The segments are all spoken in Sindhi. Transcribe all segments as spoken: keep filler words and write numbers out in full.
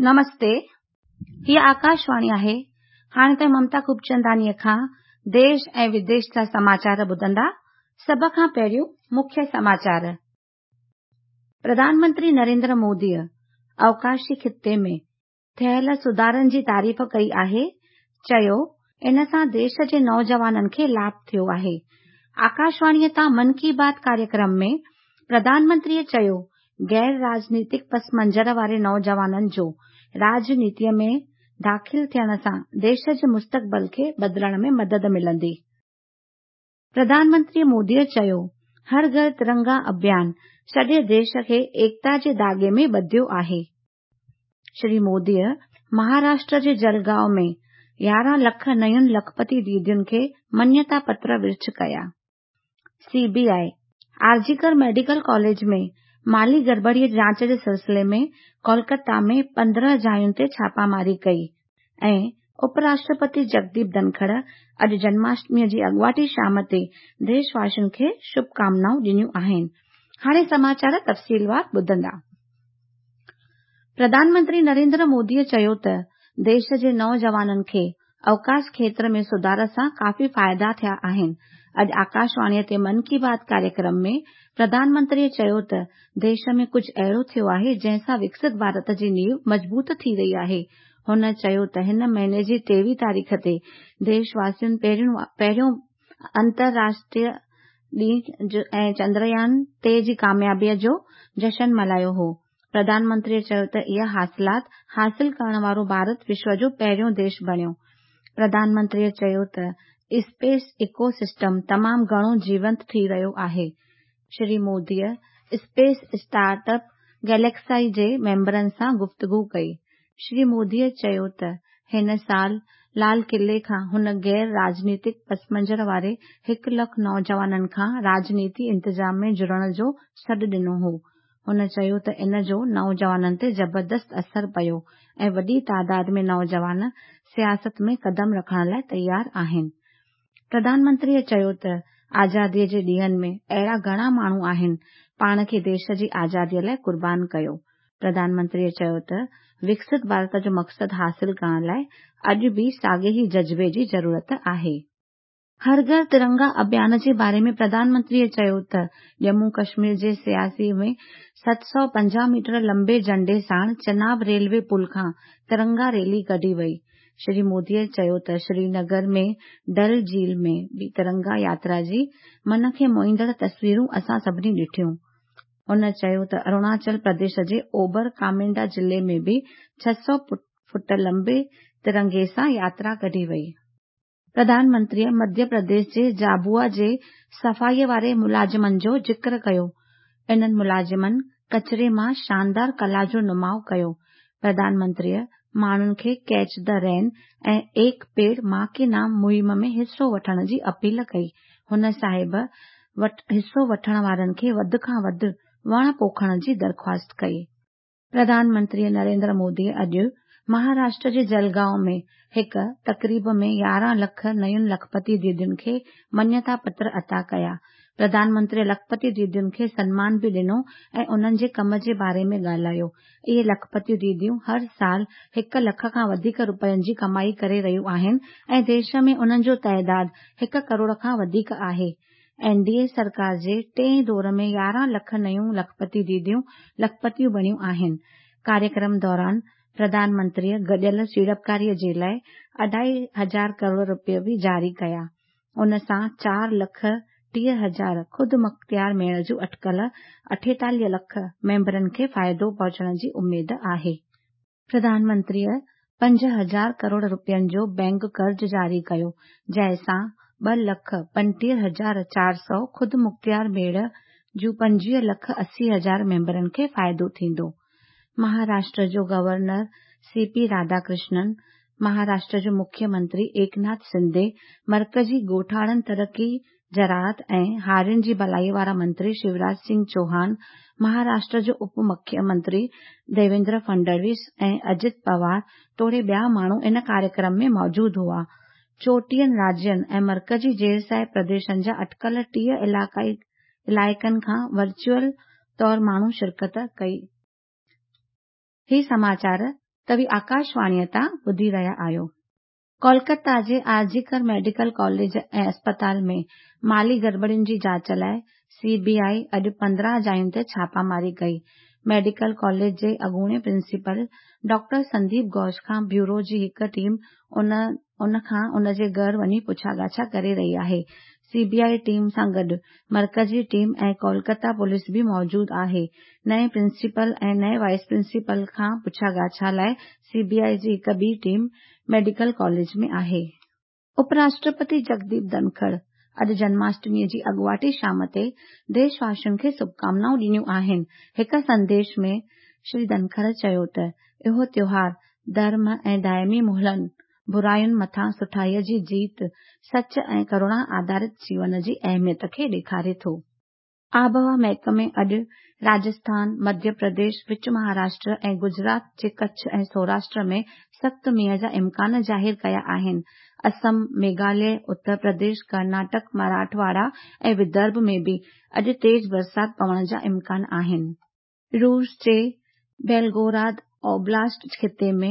نمستي، هيء آڪاشواڻي آهي. هاڻي توهين ممتا خوبچنداڻيء کان ديش ۽ وديش جا سماچار ٻڌندا. سڀ کان پهريون مکيه سماچار. پرڌان منتري نريندر موديء اوڪاشي خطي ۾ ٿيل سڌارن جي تعريف ڪئي آهي. چيو، ان سان ديش جي نوجوانن کي لاڀ ٿيو آهي. آڪاشواڻيء تان من ڪي بات ڪاريڪرم ۾ پرڌان منتريء چيو، غير راجنيتڪ پس منظر واري نوجوانن جو راڄنيتيء ۾ داخل ٿيڻ سان ديش جي مستقبل کي بدلڻ ۾ مدد ملندي. پرڌان منتري موديء چيو، هر گهر ترنگا اڀيان سڄي ديش کي ايڪتا جي ڌاڳي ۾ ٻڌيو آهي. شري موديء مهاراشٽر جي جلگائون ۾ يارهن لک نين لکپتي ديدين کي مڃتا پتر ورڇ ڪيا. C B I RG Kar medical college ۾ مالي گڙٻڙيء جي جاچ جي سلسلي ۾ ڪولڪتا ۾ پندرهن جاين تي ڇاپاماري ڪئي ۽ اپ راشٽرپتي جگديپ ڌنکڙ اڄ جنماشٽميء جي اڳواٽي شام تي ديش واسين کي شڀڪامنائون ڏنيون آهن. هاڻي سماچار تفصيلوار ٻڌندا. پرڌان منتري نريندر موديء چيو ته ديش جي نوجوانن کي اوڪاش کيتر ۾ سڌار سان ڪافي فائدا ٿيا آهن. اڄ آڪاشواڻيء تي من ڪي بات ڪاريڪرم ۾ پرڌان منتريء چيو ته ديش ۾ ڪجهه اهڙو ٿيو آهي جنهن سان وڪست ڀارت جي نينو مضبوط ٿي رهي آهي. هن چيو ته هن مهيني جي ٽيويهه تاريخ تي ديش واسين پهريون انترراشٽريه ڏينهن ۽ چندريان ٽي جي ڪاميابيء جو جشن ملهايو هو. پرڌان منتريء چيو ته اها حاصلات حاصل ڪرڻ وارو ڀارت وشو جو پهريون ديش بڻيو. پرڌان منتريء چيو ته اسپيس ايڪو سسٽم تمام گهڻو جيونت ٿي رهيو آهي. شري موديء اسپيس اسٽارٽ اپ گيليڪسائي جي ميمبرن سان گفتگو ڪئي. شري موديء چيو ته هن سال لال قلعي کان هن غير راجنيتڪ پس منظر واري هڪ لک نوجوانن کان راڄنيتي انتظام ۾ جڙڻ جو سڏ ڏنو هو. هن چيو ته ان جو نوجوانن تي زبردست اثر پيو ۽ وڏي تعداد ۾ نوجوان سياست ۾ قدم رکڻ لاءِ تيار آهن. پرڌان منتريء چيو ته آزاديء جي ڏينهن ۾ اهڙا گهڻا ماڻهو آهن پاڻ کي ديش جي آزاديء لاءِ قربان ڪيو. پرڌان منتريء چيو ته وڪست ڀارت جو مقصد حاصل ڪرڻ لاءِ اڄ به ساڳئي ئي جذبي جي ضرورت آهي. هر گهر ترنگا اڀيان جي باري ۾ پرڌان منتريء چيو ته ڄمون ڪشمير جي سياسي ۾ ست سؤ پنجاهه ميٽر لمبي جهنڊي ساڻ چناب ريلوي پل کان ترنگا ريلي ڪڍي وئي. شري موديء چيو ته سرينگر ۾ ڊل جهيل ۾ به ترنگا ياترا جي من کي موهيندڙ تصويرون اسان سڀني ڏٺيون. هن چيو ته اروناچل پرديش جي اوڀر ڪامينگا ضلعي ۾ به ڇهه سؤ فوٽ لمبي ترنگي سان ياترا ڪڍي وئي. پرڌان منتريء مڌيه پرديش جي جابوآ جي صفائيء واري ملازمن جو ذڪر ڪيو. انهن ملازمن ڪچري مان شاندار ڪلا جو نماءُ ڪيو. پرڌان منتريء ماڻهن کي ڪيچ the رين ۽ ايڪ پيڙ مان ڪي نام مهم ۾ حصو وٺڻ جي اپيل ڪئي. هن صاحب حصو وٺڻ وارن کي وڌ کان وڌ وڻ پوکڻ جي درخواست ڪئي. پرڌان منتري نريندر موديء اڄ مهاراشٽر جي جلگائون ۾ هڪ تقريب ۾ يارهن لک نين لکپتي ديدين کي مڃتا پتر عطا ڪيا. پرڌان منتريء لکپتي ديدين کي سنمان به ڏنو ۽ انهن جي ڪم جي باري ۾ ڳالهايو. اهي لکپتي ديديون هر سال هڪ لک کان وڌيڪ رپين جي ڪمائي ڪري رهيون آهن ۽ ديش ۾ انهن جو تعداد هڪ ڪروڙ کان وڌيڪ آهي. اين ڊي اي سرڪار جي ٽئين دور ۾ يارهن لک نيون لکپتي ديديون لکپتيون بڻيون آهن. ڪاريڪرم دوران پرڌان منتريء گڏيل سيڙپڪاريء جي لاءِ اڍائي هزار ڪروڙ رپيا به جاري ڪيا. ان سان چار لک ٽيهه هزار خودمختيار ميڙ جون اٽڪل اٺيتاليهه لک ميمبرن کي فائدو پهچڻ جي اميد آهي. پرڌان منتريء پنج هزار ڪروڙ رپين جو بينڪ قرض جاري ڪيو، جنهن سان ٻه لک پنجٽيهه هزار چار سؤ خودمختيار ميڙ جون پنجويهه لک اسي هزار ميمبرن کي فائدو ٿيندو. مهاراشٽر جو گورنر سي پي راڌاڪرشنن، مهاراشٽر جو مکيه منتري ايڪناٿ شندي، مرڪزي ڳوٺاڻن ترقي، زراعت ۽ هارين جي ڀلائيء وارا منتري شيوراج سنگهه چوهان، مهاراشٽر جو اپ مکيه منتري ديويندر فڊنويس ۽ اجيت پوار توڙي ٻيا ماڻهو ان ڪاريڪرم ۾ موجود هئا. چوٽيهن راجين ۽ مرڪزي زير پرديشن جا اٽڪل ٽيهه علائقن کان ورچوئل طور ماڻهن شرڪت ڪئي. هي سماچار توهين آڪاشواڻيءَ تان ٻڌي رهيا آهيو. ڪولڪتا جي آرجيڪر ميڊيڪل ڪاليج ۽ اسپتال ۾ مالي گڙٻڙين جي جاچ لاءِ سي بي I اڄ پندرهن جاين تي ڇاپاماري ڪئي. ميڊيڪل ڪاليج جي اڳوڻي پرنسپال ڊاڪٽر سنديپ گهوش کان بيورو جي هڪ ٽيم ان کان ان جي گهر وڃي پڇاڳاڇا ڪري رهي آهي. سي بي I team سان گڏ مرڪزي ٽيم ۽ ڪولڪتا پوليس به موجود آهي. نئين پرنسپال ۽ نئين وائيس پرنسپال کان پڇاڳاڇا لاءِ سي بي I جي هڪ ٻي ٽيم ميڊيڪل ڪاليج ۾ آهي. اپراشٽرپتي جگديپ ڌنکڙ اڄ جنماشٽميءَ جي اڳواٽي شام تي ديش واسين کي شڀڪامنائون ڏنيون آهن. هڪ سنديش ۾ شري ڌنکڙ چيو ته اهو تيوهار ڌرم ۽ دائمي ملهن، براين مٿان سٺائيءَ جي جيت، سچ ۽ ڪروڻا آڌارت جيون جي اهميت کي ڏيکاري ٿو. آبهوا محڪمي اڄ راجسٿان، مڌيه پرديش، وچ مهاراشٽر ۽ گجرات جي ڪڇ ۽ سوراشٽر ۾ سخت مينهن جا امڪان ظاهر ڪيا آهن. اسم، ميگهاليه، اتر پرديش، ڪرناٽڪ، مراٺواڙا ۽ ودرڀ ۾ به اڄ تيز برسات پوڻ جا امڪان آهن. روس جي بيلگوراد اوبلاسٽ خطي ۾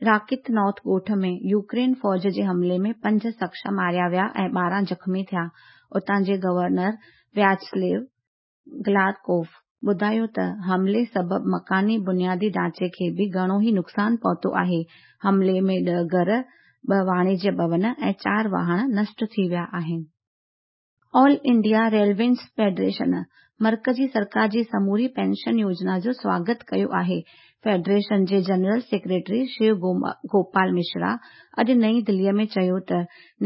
راڪيتنوٿ ڳوٺ ۾ يوڪرين فوج جي حملي ۾ پنج شخص ماريا ويا ۽ ٻارهن زخمي ٿيا. اتان جي گورنر وياچسليو گلادڪوف ٻڌايو ته حملي سبب مڪاني بنيادي ڍانچي کي به گهڻو ئي نقصان پهتو آهي. حملي ۾ ڏهه گهر، ٻه واڻجيه ڀون ۽ چار واهڻ نشٽ ٿي ويا آهن. آل انڊيا ريلويز فيڊريشن مرڪزي سرڪار جي سموري پينشن يوجنا جو سواگت ڪيو آهي. فيڊريشن جي general secretary show Gopal Mishra اڄ نئين دليءَ ۾ چيو ته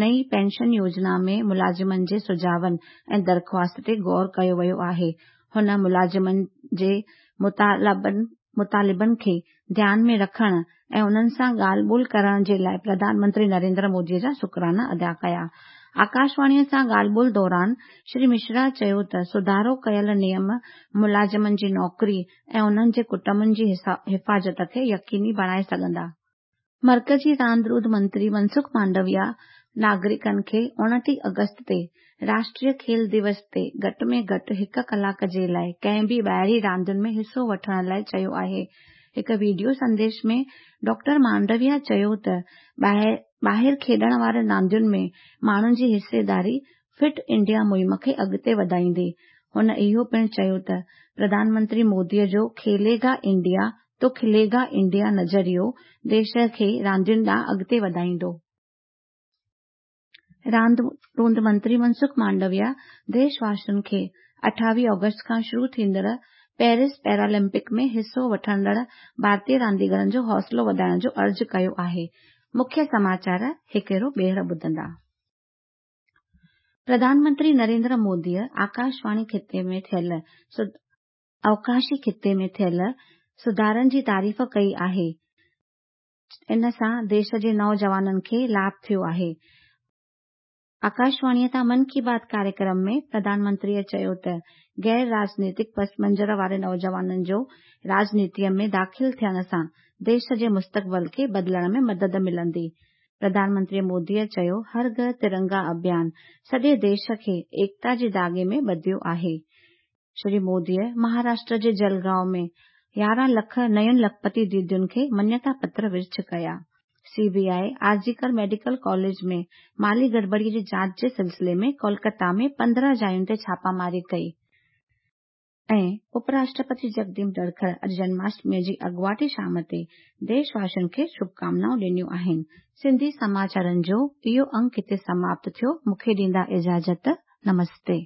نئين پينشن يوجنا ۾ ملازمن جي سجهاون ۽ درخواست تي غور ڪيو ويو آهي. هن ملازمن جي مطالبن کي ڌيان ۾ رکڻ ۽ انهن سان ڳالهه ٻولهه ڪرڻ جي لاءِ پرڌان منتري نريندر موديءَ جا شڪرانا ادا ڪيا. آڪاشواڻيءَ سان ڳالهه ٻولهه دوران شري مشرا چيو ته سڌارو ڪيل نيم ملازمن جي نوڪري ۽ انهن جي ڪٽنبن جي حفاظت کي يقيني بڻائي سگهندا. مرڪزي راند روند منتري منسک مانڊويا ناگرڪن کي اڻٽيهه آگسٽ تي راشٽريه کيل دوس تي گهٽ ۾ گهٽ هڪ ڪلاڪ جي لاءِ ڪنهن به ٻاهرين راندن ۾ حصو وٺڻ لاءِ چيو آهي. هڪ وڊيو سنديش ۾ ڊاڪٽر مانڊويا چيو ته ٻاهر کيڏڻ وارين راندين ۾ ماڻهن جي حصيداري فٽ انڊيا مهم کي اڳتي وڌائيندي. هن اهو پڻ چيو ته پرڌان منتري موديءَ جو کيليگا انڊيا تو کليگا انڊيا نظريو ديش کي راندين ڏانهن اڳتي وڌائيندو. راند روند منتري منسک مانڊويا ديش واسين کي اٺاويهه آگسٽ کان شروع ٿيندڙ پيرس پيرالمپڪ ۾ حصو وٺندڙ ڀارتيه رانديگرن جو حوصلو وڌائڻ جو عرض ڪيو آهي. مکيه سماچار هڪ ڀيرو ٻيهر ٻڌندا. پرڌان منتري نريندر موديءَ آڪاشواڻي خطي ۾ ٿيل اوڪاشي خطي ۾ ٿيل سڌارن جي تعريف ڪئي آهي. ان سان ديش جي نوجوانن کي لاڀ ٿيو آهي. آڪاشواڻيءَ تان من ڪي بات ڪاريڪرم ۾ پرڌان منتريءَ چيو ته غير راجنيتڪ پس منظر واري نوجوانن جو راجنيتيءَ ۾ داخل ٿيڻ سان ديش جي مستقبل کي بدلڻ ۾ مدد ملندي. پرڌان منتري موديءَ چيو هر گهر ترنگا اڀيان سڄي ديش کي ايڪتا جي ڌاڳي ۾ ٻڌيو آهي. شري موديءَ مهاراشٽر جي جلگائون ۾ يارهن لک نين لکپتي ديدين کي مڃتا پتر ورڇ ڪيا. C B I RG Kar medical college ۾ مالي گڙٻڙيءَ جي جاچ جي سلسلي ۾ ڪولڪتا ۾ پندرهن جاين تي ڇاپاماري ڪئي. ۽ اپراشٽرپتي جگديپ ڌنکڙ اڄ جنماشٽميءَ جي اڳواٽي شام تي ديش واسين کي شڀڪامنائون ڏنيون آهن. سنڌي سماچارن جو اهو انگ هتي سماپت ٿيو. مون کي ڏيندا اجازت. نمستي.